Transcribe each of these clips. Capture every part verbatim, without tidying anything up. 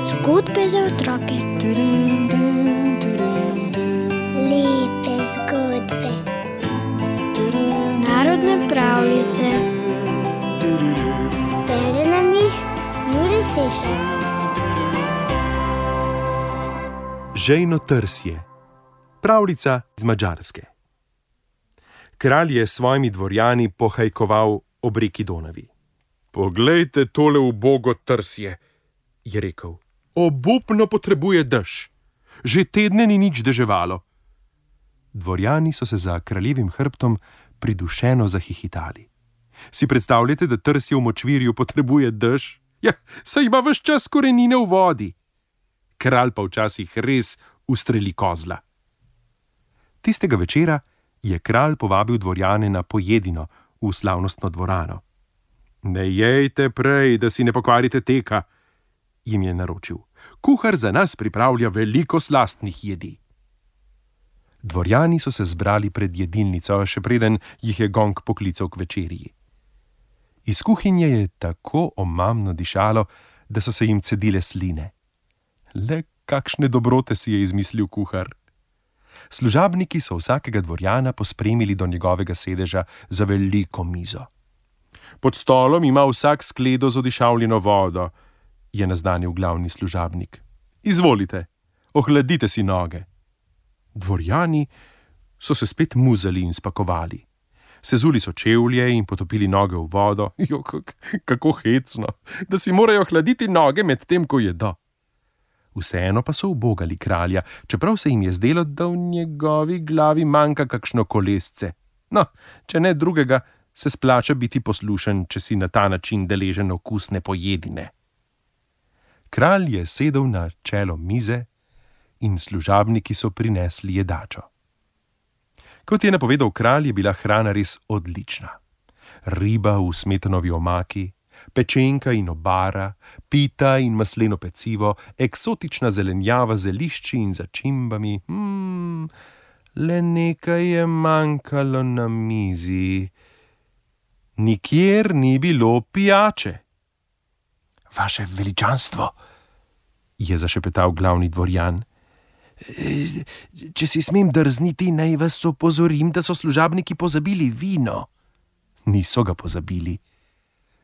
Zgodbe za otroke. Lepe zgodbe. Narodne pravljice. Bere nam jih Jure Sešar. Žejno trsje. Pravljica iz Madžarske. Kralj je s svojimi dvorjani pohajkoval ob reki Donavi. Poglejte tole ubogo trsje, je rekel. Obupno potrebuje dež. Že tedne ni nič deževalo. Dvorjani so se za kraljevim hrbtom pridušeno zahihitali. Si predstavljate, da trsje v močvirju potrebuje dež? Ja, saj ima ves čas korenine v vodi. Kralj pa včasih res ustreli kozla. Tistega večera je kralj povabil dvorjane na pojedino v slavnostno dvorano. Ne jejte prej, da si ne pokvarite teka, jim je naročil. Kuhar za nas pripravlja veliko slastnih jedi. Dvorjani so se zbrali pred jedilnico, še preden jih je gong poklical k večerji. Iz kuhinje je tako omamno dišalo, da so se jim cedile sline. Le kakšne dobrote si je izmislil kuhar. Služabniki so vsakega dvorjana pospremili do njegovega sedeža za veliko mizo. Pod stolom ima vsak skledo z odišavljeno vodo, je naznanil glavni služabnik. Izvolite, ohladite si noge. Dvorjani so se spet muzali in spakovali. Sezuli so čevlje in potopili noge v vodo. Jo, kako hecno, da si morajo hladiti noge med tem, ko jedo. Vseeno pa so ubogali kralja, čeprav se jim je zdelo, da v njegovi glavi manjka kakšno kolesce. No, če ne drugega, se splača biti poslušen, če si na ta način deležen okusne pojedine. Kralj je sedel na čelo mize in služabniki so prinesli jedačo. Kot je napovedal kralj, je bila hrana res odlična. Riba v smetanovi omaki, pečenka in obara, pita in masleno pecivo, eksotična zelenjava z zelišči in začimbami. Hmm, le nekaj je manjkalo na mizi. Nikjer ni bilo pijače. Vaše veličanstvo, je zašepetal glavni dvorjan. Če si smem drzniti, naj vas opozorim, da so služabniki pozabili vino. Niso ga pozabili,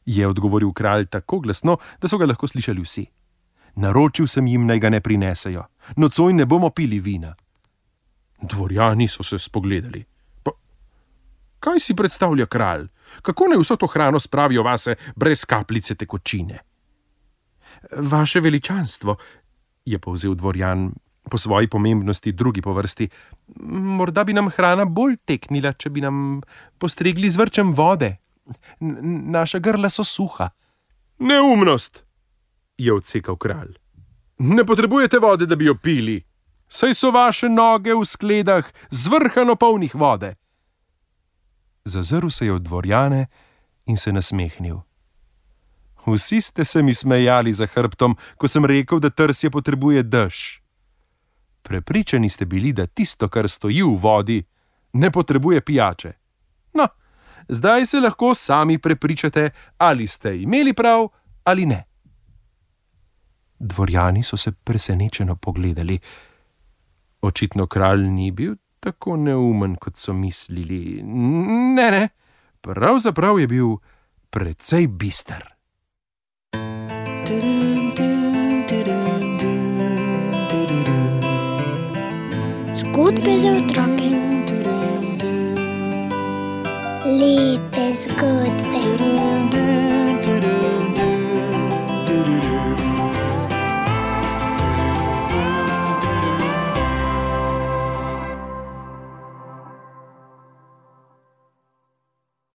je odgovoril kralj tako glasno, da so ga lahko slišali vsi. Naročil sem jim, naj ga ne prinesejo. Nocoj ne bomo pili vina. Dvorjani so se spogledali. Pa, kaj si predstavlja kralj? Kako naj vso to hrano spravijo vase brez kapljice tekočine? Vaše veličanstvo, je povzel dvorjan, po svoji pomembnosti drugi po vrsti, morda bi nam hrana bolj teknila, če bi nam postregli z vrčem vode. N- naša grla so suha. Neumnost, je odsekal kralj. Ne potrebujete vode, da bi jo pili. Saj so vaše noge v skledah zvrhano polnih vode. Zazrl se je od dvorjane in se nasmehnil. Vsi ste se mi smejali za hrbtom, ko sem rekel, da trsje potrebuje dež. Prepričani ste bili, da tisto, kar stoji v vodi, ne potrebuje pijače. No, zdaj se lahko sami prepričate, ali ste imeli prav ali ne. Dvorjani so se presenečeno pogledali. Očitno kralj ni bil tako neumen, kot so mislili. Ne, ne, pravzaprav je bil precej bister. Zgodbe za otroke. Lepe zgodbe.